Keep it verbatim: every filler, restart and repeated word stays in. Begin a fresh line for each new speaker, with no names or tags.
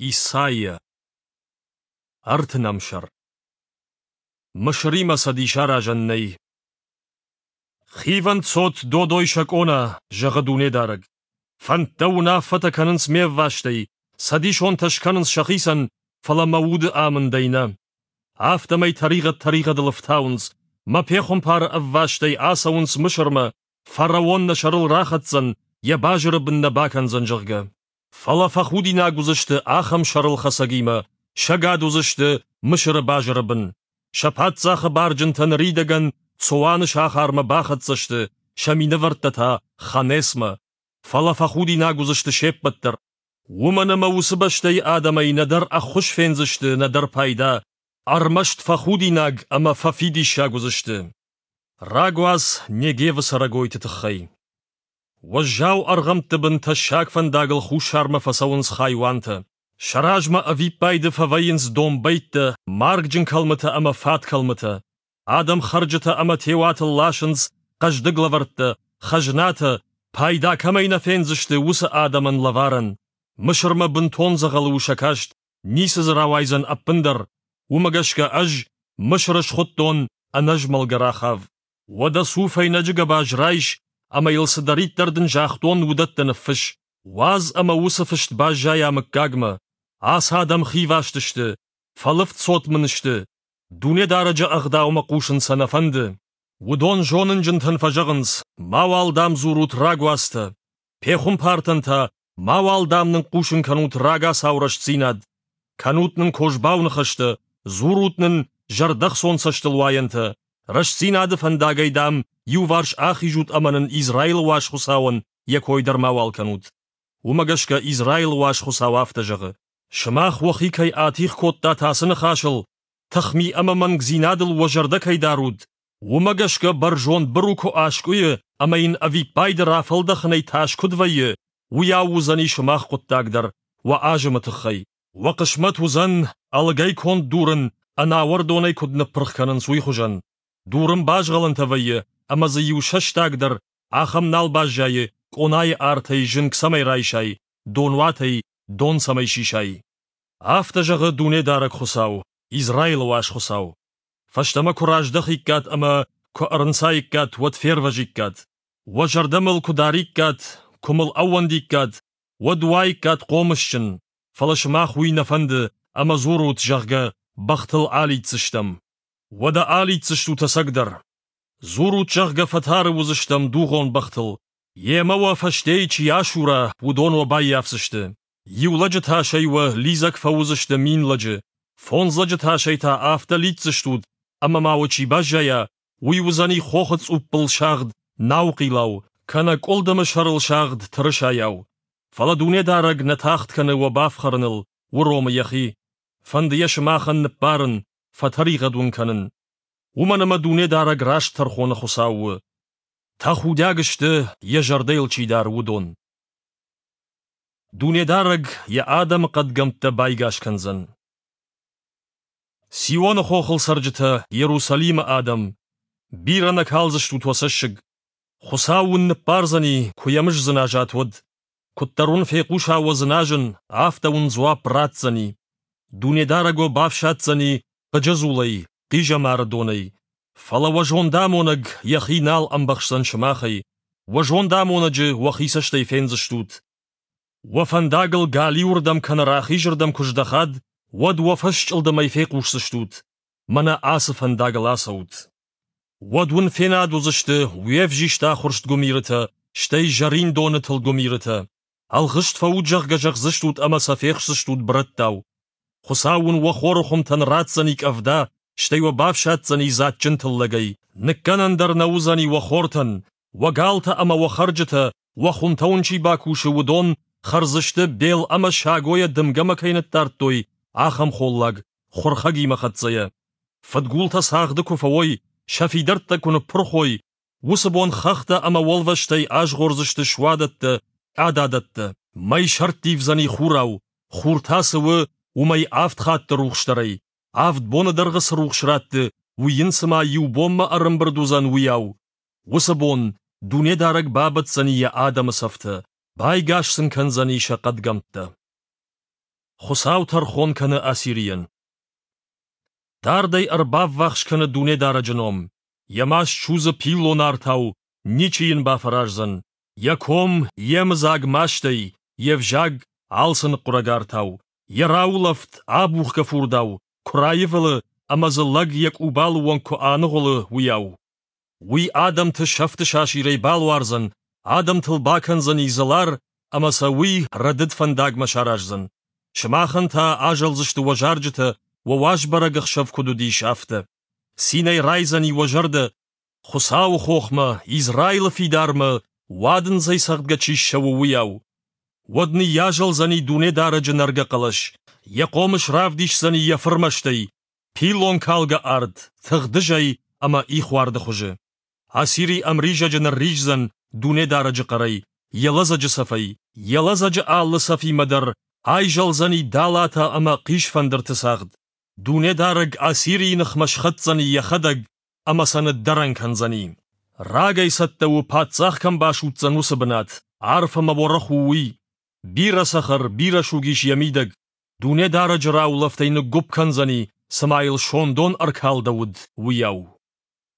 Исайа. Ӕртынӕм сӕр. Мысыримӕ цӕдис аразӕн нӕй. Хивӕнд цот, додой сӕ къона, зӕгъы Дунедарӕг. Фӕндтӕ уынаффӕтӕ кӕнынц ме ввастӕй, цӕдисонтӕ скӕнынц сӕхицӕн, фӕлӕ мӕ уды амындӕй нӕ. Афтӕмӕй тӕригъӕд тӕригъӕдыл ӕфтауынц, мӕ пехуымпары ӕввастӕй ацӕуынц Мысырмӕ, фараон нӕ сӕрыл рахӕцдзӕн, йӕ базыры бын нӕ бакӕндзӕн, зӕгъгӕ. Фӕлӕ фӕхудинаг уыдзысты ахӕм сӕрылхӕцӕгимӕ, сӕгад уыдзысты Мысыры базыры бын. Сӕ паддзахы барджынтӕ ныридӕгӕн Цоаны сахармӕ бахӕццӕ сты, сӕ минӕвӕрттӕ та Ханесмӕ. Фӕлӕ фӕхудинаг уыдзысты се ппӕт дӕр. Уымӕн ӕмӕ уыцы бӕстӕйы адӕмӕй нӕдӕр ӕххуыс фендзысты, нӕдӕр пайда, ӕрмӕст фӕхудинаг ӕмӕ фӕфидиссаг уыдзысты. Рагуац Негевы цӕрӕгойты тыххӕй. Уӕззау ӕргъӕмтты бын тӕссаг фӕндагыл хуссармӕ фӕцӕуынц хайуантӕ. Сӕ размӕ ӕвиппайды фӕвӕййынц домбӕйттӕ, маргджын кӕлмытӕ ӕмӕ фаткӕлмытӕ. Адӕм хӕрджытӕ ӕмӕ теуатыл ласынц хъӕздыг лӕвӕрттӕ, хӕзнатӕ, пайда кӕмӕй нӕ фендзысты, уыцы адӕмӕн лӕварӕн. Мысырмӕ бынтон дзӕгъӕлы у сӕ каст, ницы дзы рауайдзӕн ӕппындӕр. Уымӕ гӕсгӕ ӕз Мысыры схуыдтон ӕнӕзмӕлгӕ Рахав. Уӕдӕ цу фӕйнӕджы гӕбаз райс ӕмӕ йыл цыдӕриддӕр дын загътон, уыдӕттӕ ныффысс. Уадз ӕмӕ уыцы фыст баззайа мыггагмӕ. Ацы адӕм хиваст сты, фӕлывд цот мын сты. Дунедарӕджы ӕгъдаумӕ хъусын сӕ нӕ фӕнды. Уыдон зонынджынтӕн фӕзӕгъынц, мауал дам дзурут рагуацтӕ. Пехуымпартӕн та, мауал дам нын хъусын кӕнут рагацау рӕстдзинад. Кӕнут нын козбау ныхӕстӕ, дзурут нын зӕрдӕхцон цӕстылуайӕнтӕ. Рӕстдзинады фӕндагӕй, дам, иуварс ахизут ӕмӕ нын Израилы уаз Хуыцауӕн йӕ кой дӕр мауал кӕнут. Уымӕ гӕсгӕ Израилы уаз Хуыцау афтӕ зӕгъы: Сымах уӕхи кӕй атигъ кодтат ацы ныхасыл, тыхми ӕмӕ мӕнгдзинадыл уӕ зӕрдӕ кӕй дарут, уымӕ гӕсгӕ бӕрзонд быру куы аскъуыйы ӕмӕ йын ӕвиппайды рафӕлдӕхынӕй тас куыд вӕййы, уыйау уыдзӕни сымах хъуыддаг дӕр, уӕ азымы тыххӕй. Уӕ хъысмӕт уыдзӕн, ӕлыгӕй конд дурын ӕнауӕрдонӕй куыд ныппырх кӕнынц, уый хуызӕн. Дурын базгъӕлӕнтӕ вӕййы, ӕмӕ дзы иу сӕстаг дӕр ахӕм нал баззайы, къонайы артӕй зынг цӕмӕй райсай, донуатӕй дон цӕмӕй сисай. Афтӕ зӕгъы Дунедарӕг Хуыцау, Израилы уаз Хуыцау. Фӕстӕмӕ куы раздӕхиккат ӕмӕ куы ӕрынцаиккат, уӕд фервӕзиккат. Уӕ зӕрдӕ мыл куы дариккат, куы мыл ӕууӕндиккат, уӕд уаиккат хъомысджын, фӕлӕ сымах уый нӕ фӕнды, ӕмӕ дзурут, зӕгъгӕ, бӕхтыл алидздзыстӕм. Уӕдӕ алидздзыстут ӕцӕгдӕр. Дзурут, зӕгъгӕ, фӕтары уыдзыстӕм дугъон бӕхтыл. Йемӕ уӕ фӕстейы чи асура, уыдон уӕ баййафдзысты. Иу лӕджы тасӕй уӕ лидзӕг фӕуыдзысты мин лӕджы, фондз лӕджы тасӕй та афтӕ лидздзыстут, ӕмӕ ма уӕ чи баззайа, уый уыдзӕни хохы цъуппыл сагъд наухъилау, кӕнӕ къуылдымы сӕрыл сагъд тырысайау. Фӕлӕ Дунедарӕг нӕ тагъд кӕны уӕ бафхӕрыныл, уромы йӕхи. Фӕнды йӕ сымахӕн ныббарын, фӕтӕригъӕд уын кӕнын. Уымӕн ӕмӕ Дунедарӕг раст тӕрхоны Хуыцау у. Тӕхудиаг сты, йӕ зӕрдӕ йыл чи дары, уыдон. Дунедарӕг йӕ адӕмы хъӕдгӕмттӕ байгас кӕндзӕн. Сионы хохыл цӕрджытӕ, Иерусалимы адӕм, бирӕ нӕ калдзыстут уӕ цӕссыг. Хуыцау уын ныббардзӕни, куы йӕм сдзыназат, уӕд. Куыддӕр уын фехъуса уӕ дзыназын, афтӕ уын дзуапп ратдзӕни. Дунедарӕг уӕ бафсаддзӕни хъыджы дзулӕй, хъизӕмары донӕй. Фӕлӕ уӕ зондамонӕг йӕхи нал ӕмбӕхсдзӕн сымахӕй, уӕ зондамонӕджы уӕхи цӕстӕй фендзыстут. Уӕ фӕндагыл галиуырдӕм кӕнӕ рахизырдӕм куы здӕхат, уӕд уӕ фӕсчъылдымӕй фехъусдзыстут: мӕнӕ ацы фӕндагыл ацӕут. Уӕд уын фенад уыдзысты уе взист ахуырст гуымирытӕ, стӕй зӕрин доны тылд гуымирытӕ. Ӕлгъыст фӕут, зӕгъгӕ, зӕгъдзыстут ӕмӕ сӕ фехсдзыстут бырӕттау. Хуыцау уын уӕ хоры хуымтӕн ратдзӕни къӕвда, стӕй уӕ бафсаддзӕни дзаджджын тыллӕгӕй. Ныккӕнӕн дӕр нӕ уыдзӕни уӕ хортӕн, уӕ галтӕ ӕмӕ уӕ хӕрджытӕ, уӕ хуымтӕ уын чи бакусы, уыдон хӕрдзысты бел ӕмӕ сагойӕ дымгӕмӕ кӕй ныддардтой, ахӕм холлаг, хуырхӕгимӕ хӕццӕйӕ. Фыдгултӕ цагъды куы фӕуой, сӕ фидӕрттӕ куы ныппырх уой, уыцы бон хӕхтӕ ӕмӕ уӕлвӕзтӕй азгъордзысты суадӕттӕ, къададӕттӕ. Мӕй сӕрттивдзӕни хурау, хур та цы у, уымӕй авд хатты рухсдӕрӕй. Авд боны дӕргъы цы рухс ратты, уый йын цыма иу бонмӕ ӕрӕмбырд уыдзӕн, уыйау. Уыцы бон Дунедарӕг бабӕтдзӕни йӕ адӕмы цӕфтӕ, байгас сын кӕндзӕни сӕ хъӕдгӕмттӕ. Хуыцау тӕрхон кӕны Ассирийӕн. Дардӕй ӕрбаввахс кӕны Дунедарӕджы ном. Йӕ маст судзы пиллон артау, ничи йын бафӕраздзӕн. Йӕ ком йемыдзаг мастӕй, йе взаг алцы ныхъхъуырӕг артау. Йӕ раулӕфт абухгӕ фурдау, куы раивылы ӕмӕ дзы лӕг йӕ къубалы онг куы аныгъуылы, уыйау. Уый адӕмты сӕфты сасирӕй балуардзӕн, адӕмтыл бакӕндзӕни дзылар ӕмӕ сӕ уый рӕдыд фӕндагмӕ сараздзӕн. Сымахӕн та азӕлдзысты уӕ зарджытӕ, уӕ уазбӕрӕг ӕхсӕв куыд уыдис, афтӕ. Цинӕй райдзӕни уӕ зӕрдӕ, Хуыцауы хохмӕ, Израилы фидармӕ, уадындзӕй цӕгъдгӕ чи ссӕуы, уыйау. Уӕд ныййазӕлдзӕни Дунедарӕджы нӕргӕ хъӕлӕс, йӕ хъомыс равдисдзӕни йӕ фырмӕстӕй, пиллонкалгӕ арт, тыгъдызӕй ӕмӕ ихуарды хуызы. Ассири ӕмризӕджы нырриздзӕн Дунедарӕджы хъӕрӕй, йӕ лӕдзӕджы цӕфӕй, йӕ лӕдзӕджы алы цӕфимӕ дӕр айзӕлдзӕни далатӕ ӕмӕ хъисфӕндырты цагъд. Дунедарӕг Ассирийы ныхмӕ схӕцдзӕни йӕхӕдӕг ӕмӕ сӕ ныддӕрӕн кӕндзӕни. Рагӕй цӕттӕ у, паддзах кӕм басудздзӕн, уыцы бынат, арф ӕмӕ уӕрӕх у уый. Бирӕ цӕхӕр, бирӕ суг ис йӕ мидӕг. Дунедарӕджы раулӕфтӕй ныггуыпп кӕндзӕни, цыма йыл сондон ӕркалдӕуыд, уыйау.